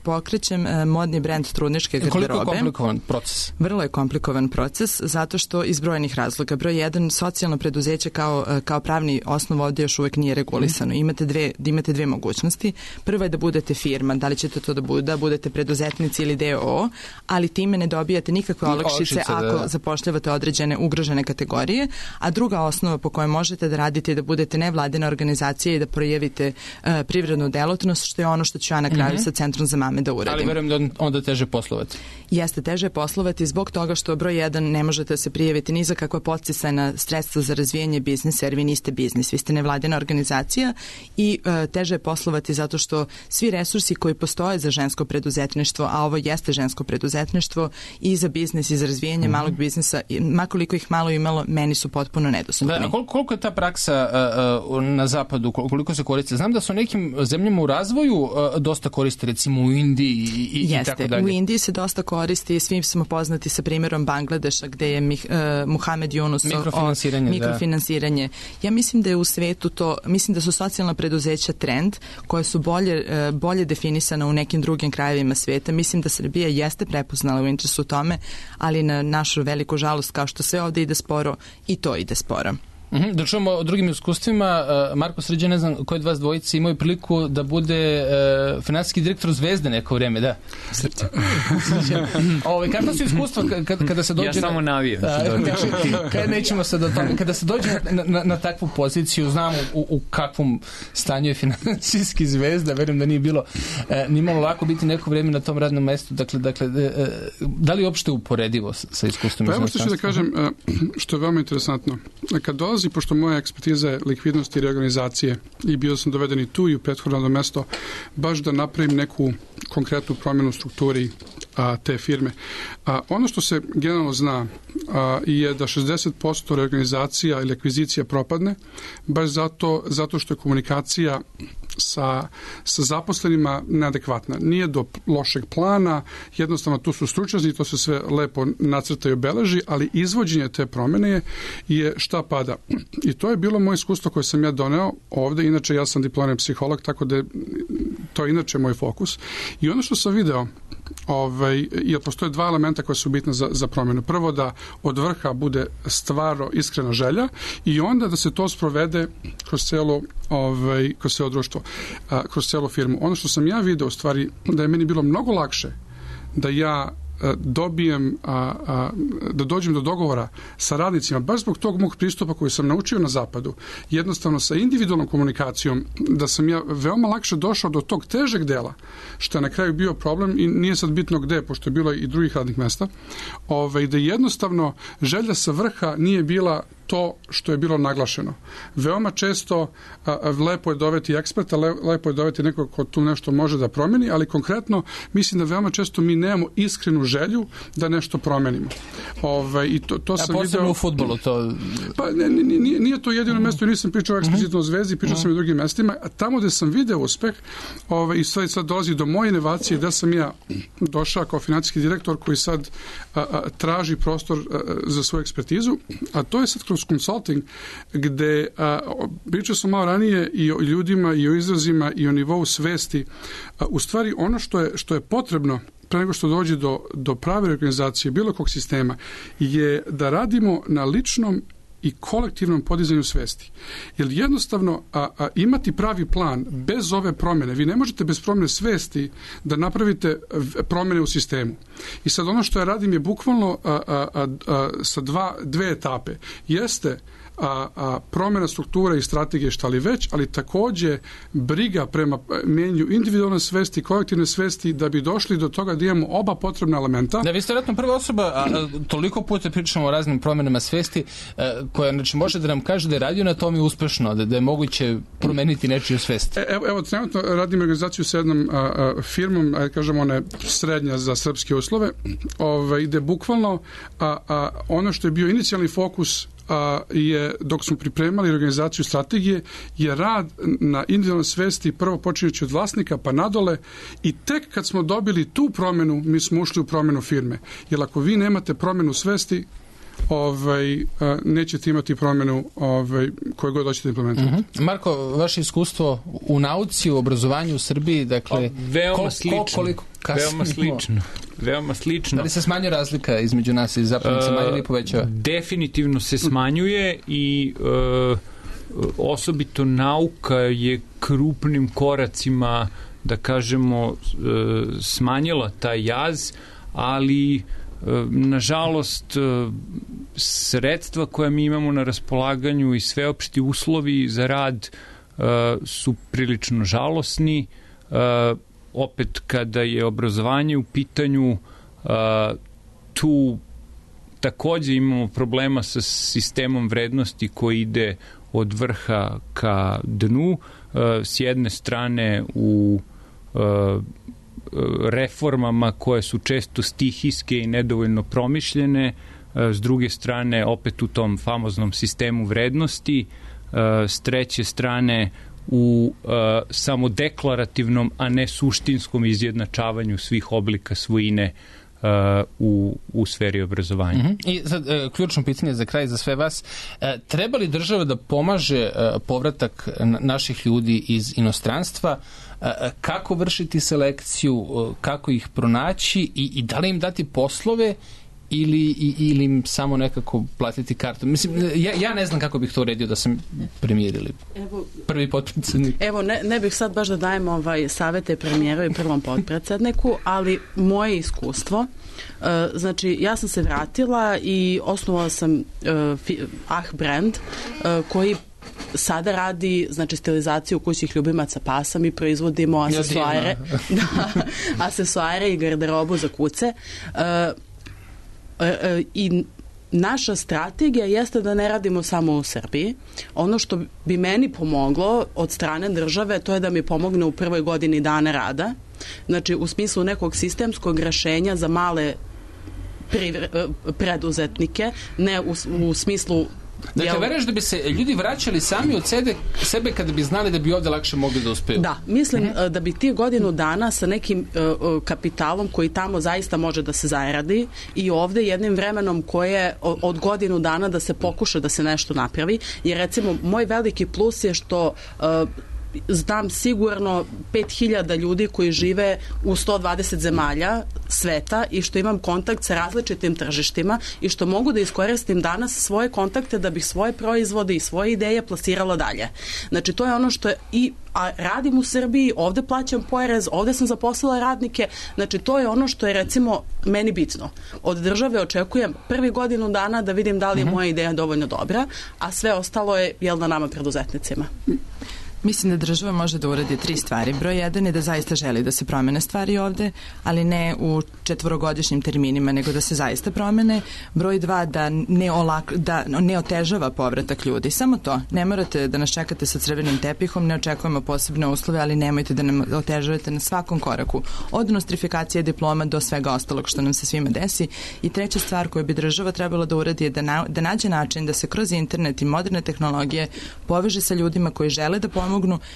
Pokrećem modni brend trudničke garderobe. Koliko je komplikovan proces? Vrlo je komplikovan proces, zato što iz brojnih razloga. Broj 1, socijalno preduzeće kao pravni osnov ovdje još uvek nije regulisano. Imate dve mogućnosti. Prva je da budete firma, da li ćete to da budete preduzetnici ili DOO, ali time ne dobijate nikakve olakšice ako zapošljavate određene ugrožene kategorije, a druga osnova po kojoj možete da radite je da budete nevladina organizacija i da projavite privrednu delotnost, što je ono što ću ja na kraju sa Centrom za mame da uradim. Ali verujem da onda teže poslovati. Jeste teže poslovati zbog toga što broj 1 ne možete se prijaviti ni za kakva podsticajna sredstva za razvijanje biznisa, jer vi niste biznis, vi ste nevladina organizacija i teže je poslovati zato što svi resursi koji postoje za žensko preduzetništvo, a ovo jeste žensko preduzetništvo i za biznis i za razvijanje malog biznisa, makoliko ih malo imalo, meni su potpuno nedostupni. Da, koliko je ta praksa na zapadu, koliko se koristi? Znam da su nekim zemljama u razvoju dosta koriste, recimo u Indiji i tako dalje. U Indiji se dosta koristi, svi smo poznati sa primjerom Bangladeša gde je Muhamed Yunus mikrofinansiranje. Ja mislim da je u svetu mislim da su socijalna preduzeća trend koje su bolje definisana u nekim drugim krajevima sveta. Mislim da Srbija jeste prepoznala u interesu tome, ali na našu veliku žalost, kao što sve ovde ide sporo, i to ide sporo. Da čujemo o drugim iskustvima. Marko Srđan, ne znam koji od vas dvojice imaju priliku da bude finansijski direktor Zvezde neko vreme, da? Srđan. Kakva su iskustva kada se dođe... Ja samo navijam. Nećemo se do toga. Kada se dođe na takvu poziciju, znamo u kakvom stanju je finansijski Zvezda, verujem da nije bilo nimalo lako biti neko vreme na tom radnom mestu. Dakle, da li je uopšte uporedivo sa iskustvom? Pa evo što ću da kažem, što je veoma interesantno. Kad dolazi, pošto moja ekspertiza je likvidnost i reorganizacije i bio sam doveden i tu i u prethodno mesto, baš da napravim neku konkretnu promjenu u strukturi te firme. Ono što se generalno zna je da 60% reorganizacija ili akvizicija propadne, baš zato što je komunikacija sa zaposlenima neadekvatna. Nije do lošeg plana, jednostavno tu su stručnjaci, to se sve lepo nacrta i obeleži, ali izvođenje te promene je šta pada. I to je bilo moje iskustvo koje sam ja doneo ovde, inače ja sam diplomirani psiholog, tako da to je inače moj fokus. I ono što sam video, jer postoje dva elementa koja su bitna za promjenu. Prvo, da od vrha bude stvarno iskrena želja i onda da se to sprovede kroz celo društvo, kroz celu firmu. Ono što sam ja video, u stvari, da je meni bilo mnogo lakše da ja dobijem, da dođem do dogovora sa radnicima, baš zbog tog mog pristupa koji sam naučio na zapadu, jednostavno sa individualnom komunikacijom, da sam ja veoma lakše došao do tog težeg dela, što je na kraju bio problem i nije sad bitno gde, pošto je bilo i drugih radnih mesta, da jednostavno želja sa vrha nije bila to što je bilo naglašeno. Veoma često lepo je doveti eksperta, lepo je doveti nekog ko tu nešto može da promeni, ali konkretno mislim da veoma često mi nemamo iskrenu želju da nešto promenimo. I to sam posebno video... u fudbalu to... Pa nije to jedino mesto, nisam pričao eksplicitno o Zvezdi, pričao sam i o drugim mestima. Tamo gde sam video uspeh, i sad dolazi do moje inovacije, da sam ja došao kao financijski direktor koji sad traži prostor za svoju ekspertizu, a to je sad kroz consulting, gde pričao sam malo ranije i o ljudima, i o izrazima, i o nivou svesti. U stvari, ono što je potrebno pre nego što dođe do prave organizacije bilo kog sistema, je da radimo na ličnom i kolektivnom podizanju svesti. Jer jednostavno imati pravi plan bez ove promjene, vi ne možete bez promjene svesti da napravite promjene u sistemu. I sad ono što ja radim je bukvalno sa dve etape. Jeste promjena strukture i strategije šta li već, ali takođe briga prema menju individualne svesti, kolektivne svesti, da bi došli do toga da imamo oba potrebna elementa. Da, vi ste vjerojatno prva osoba, toliko puta pričamo o raznim promjenama svesti, koja može da nam kaže da je radio na tome uspešno, da je moguće promeniti nečiju svest. Evo, trenutno radim organizaciju sa jednom firmom, kažemo ona je srednja za srpske uslove, gde bukvalno ono što je bio inicijalni fokus je, dok smo pripremali organizaciju strategije, je rad na individualnoj svesti prvo počinjući od vlasnika pa nadole, i tek kad smo dobili tu promjenu, mi smo ušli u promjenu firme. Jer ako vi nemate promjenu svesti, nećete imati promjenu koje god hoćete implementirati. Marko, vaše iskustvo u nauci, u obrazovanju u Srbiji, dakle, veoma slično. Da li se smanjuje razlika između nas i zapadnih zemalja ili povećava? Definitivno se smanjuje i osobito nauka je krupnim koracima, da kažemo, smanjila taj jaz, ali nažalost sredstva koja mi imamo na raspolaganju i sveopšti uslovi za rad su prilično žalosni. Opet kada je obrazovanje u pitanju, tu takođe imamo problema sa sistemom vrednosti koji ide od vrha ka dnu. S jedne strane u reformama koje su često stihijske i nedovoljno promišljene, s druge strane opet u tom famoznom sistemu vrednosti, s treće strane u samodeklarativnom, a ne suštinskom izjednačavanju svih oblika svojine u sferi obrazovanja. I sad, ključno pitanje za kraj za sve vas. Treba li država da pomaže povratak naših ljudi iz inostranstva? Kako vršiti selekciju? Kako ih pronaći? I da li im dati poslove ili im samo nekako platiti kartu? Mislim, ja ne znam kako bih to uredio da sam premijer ili prvi potpredsjednik. Evo, ne bih sad baš da dajem savete premijeru i prvom potpredsjedniku, ali moje iskustvo, znači ja sam se vratila i osnovala sam brand koji sada radi, znači, stilizaciju kućnih ljubimaca pasa. Mi proizvodimo asesoare i garderobu za kuce. I naša strategija jeste da ne radimo samo u Srbiji. Ono što bi meni pomoglo od strane države, to je da mi pomogne u prvoj godini dana rada, Znači, u smislu nekog sistemskog rešenja za male preduzetnike, ne u smislu... Dakle, veruješ da bi se ljudi vraćali sami od sebe kada bi znali da bi ovde lakše mogli da uspeju? Da, mislim da bi ti godinu dana sa nekim kapitalom koji tamo zaista može da se zaradi i ovde jednim vremenom koje od godinu dana da se pokuša da se nešto napravi, jer recimo moj veliki plus je što znam sigurno 5000 ljudi koji žive u 120 zemalja sveta i što imam kontakt sa različitim tržištima i što mogu da iskoristim danas svoje kontakte da bih svoje proizvode i svoje ideje plasirala dalje. Znači, to je ono što je a radim u Srbiji, ovde plaćam porez, ovde sam zaposlila radnike, znači to je ono što je recimo meni bitno. Od države očekujem prvi godinu dana da vidim da li je moja ideja dovoljno dobra, a sve ostalo je na nama preduzetnicima. Mislim da država može da uradi 3 stvari. Broj 1 je da zaista želi da se promene stvari ovde, ali ne u 4-godišnjim terminima, nego da se zaista promene. Broj 2 da ne otežava povratak ljudi. Samo to. Ne morate da nas čekate sa crvenim tepihom, ne očekujemo posebne uslove, ali nemojte da nam otežavate na svakom koraku. Od nostrifikacije diploma do svega ostalog što nam se svima desi. I treća stvar koju bi država trebala da uradi je da nađe način da se kroz internet i moderne tehnologije poveže sa ljudima koji žele da pomognu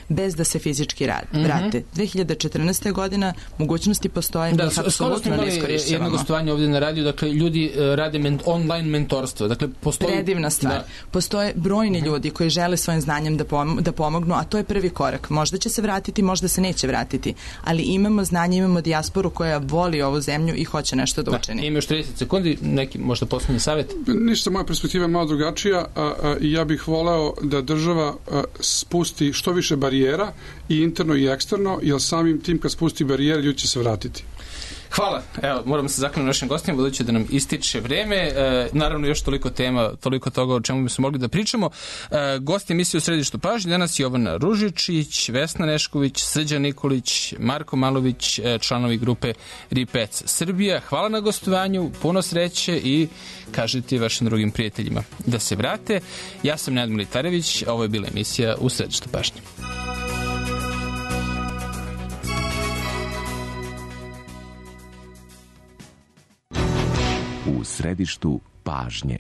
bez da se fizički vrate. 2014. godina mogućnosti postoje, mi ih apsolutno ne iskorišćavamo. Jedno gostovanje ovdje na radiju, dakle ljudi rade online mentorstvo. Dakle, predivna stvar. Postoje brojni ljudi koji žele svojim znanjem da pomognu, a to je prvi korak. Možda će se vratiti, možda se neće vratiti, ali imamo znanje, imamo dijasporu koja voli ovu zemlju i hoće nešto da učini. Ima još 30 sekundi, neki možda poslednji savjet? Ništa, moja perspektiva je malo drugačija i ja bih voleo da država spusti što više barijera i interno i eksterno, jer samim tim kad spusti barijere ljudi će se vratiti. Hvala. Evo, moramo se zakliniti našim gostima, budući da nam ističe vreme. Naravno, još toliko tema, toliko toga o čemu bi se mogli da pričamo. Gosti emisije u Središtu pažnje danas Jovana Ružičić, Vesna Nešković, Srđan Nikolić, Marko Malović, članovi grupe Ripec Srbija. Hvala na gostovanju, puno sreće i kažite vašim drugim prijateljima da se vrate. Ja sam Nenad Militarević, ovo je bila emisija u Središtu pažnje. U središtu pažnje.